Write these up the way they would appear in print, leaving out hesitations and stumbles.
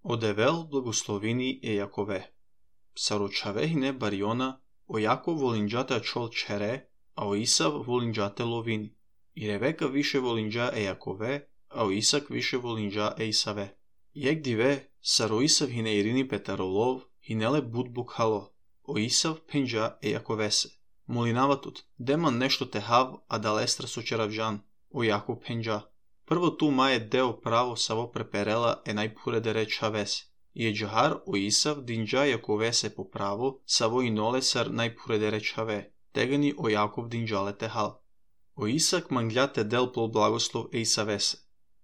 Одевел благословини е Якове. Сарочавехине бариона, о Яков волинджата чол чере, а о Исав волинджате ловини. И Ревека више волинджа е Якове, а о Исак више волинджа е Исаве. Јек диве, саро Исав хине Ирини Петаролов, хинеле будбук хало, о Исав пенджа е Яковесе. Молинаватут, деман нешто техав, а далестра со черавжан, о Яков пенджа. Прво ту мае део право саво преперела е најпуредере чавес. И е джахар о Исав динджа Јаковесе по право, саво и нолесар најпуредере чаве, тегани о Јаков динджале техал. О Исак манглјате дел пол благослов е Исавесе.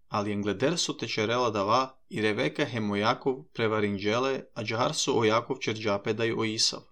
Али енгледер со течерела дава и Ревека хем о Јаков преваринджеле, а джахар со о Јаков черджапе дај о Исав.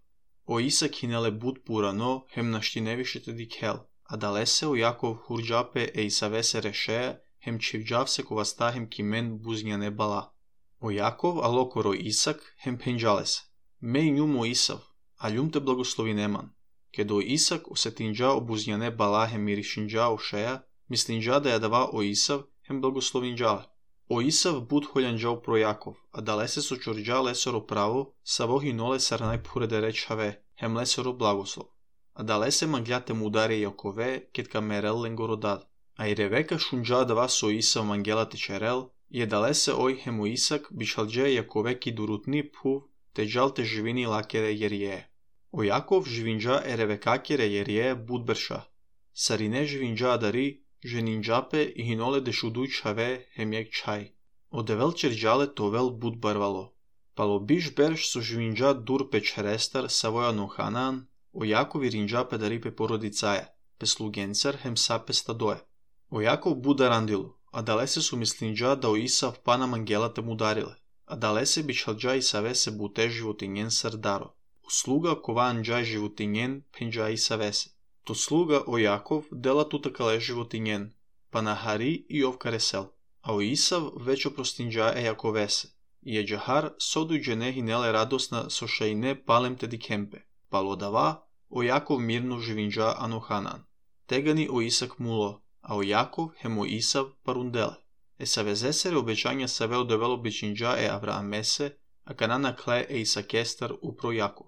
О Исак хинеле буд пурано, хем наштиневишете дикел, а далесе о Јаков хурджапе е Исавесе решеја, хем чивджав се коваста хем кимен бузњане бала. О Јаков алокоро Исак хем пенджалесе. Меј њум о Исав, а љум те благослови неман. Кедо Исак осетинджа о бузњане бала хем миришинджа о шеја, мислинджа да ја дава о Исав хем благословинджале. О Исав буд холјанджал про Јаков, а далесе со чорджа лесоро право, саво хиноле сар најпуредере чаве, хем лесоро благослов. А далесе манглјате му ударе Јакове, кет камерел ленгородад. А и Ревека шунджа дава со Исав мангелате черел, и далесе ој хем о Исак бишалдже Јакове ки дурутни пув, те джалте живини лакере јерје. О Јаков живинджа е Ревекакере јерје будберша. Сарине живинджа дари, женинджапе и хиноле дешудуј чаве хемјек чај. Одевел черджале товел буд барвало. Пало биш берш со живинджа дур пе черестар савоја ноханан, о Јаков и ринджапе дари пе породицаја, пе слугенцар хем сапе стадое. О Јаков буда рандилу, а далесе со мислинджа да о Исав пана мангелате му дариле, а далесе бичалджа Исавесе буте животињен срдаро. Услуга кованджа животињен пенджа Исавесе. То слуга о Јаков дела тутакале животињен, па на Хари и овкаресел, а о Исав веќе простинджа е Јаковесе. И е джахар содујджене хинеле радосна со шајне палемте дикемпе, пало дава о Јаков мирно живинджа аноханан. Тегани о Исак муло, а о Јаков хем о Исав парунделе. Есавезесере обеќања саве одевело бичинджа е Авраамесе, а канана кле е Исакестар упро Јаков.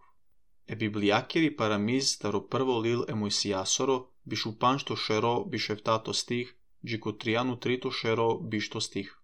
Е библијакери парамиз старо прво лил е Мојсијасоро, бишу паншто шеро бишевтато стих, джико тријану трито шеро бишто стих.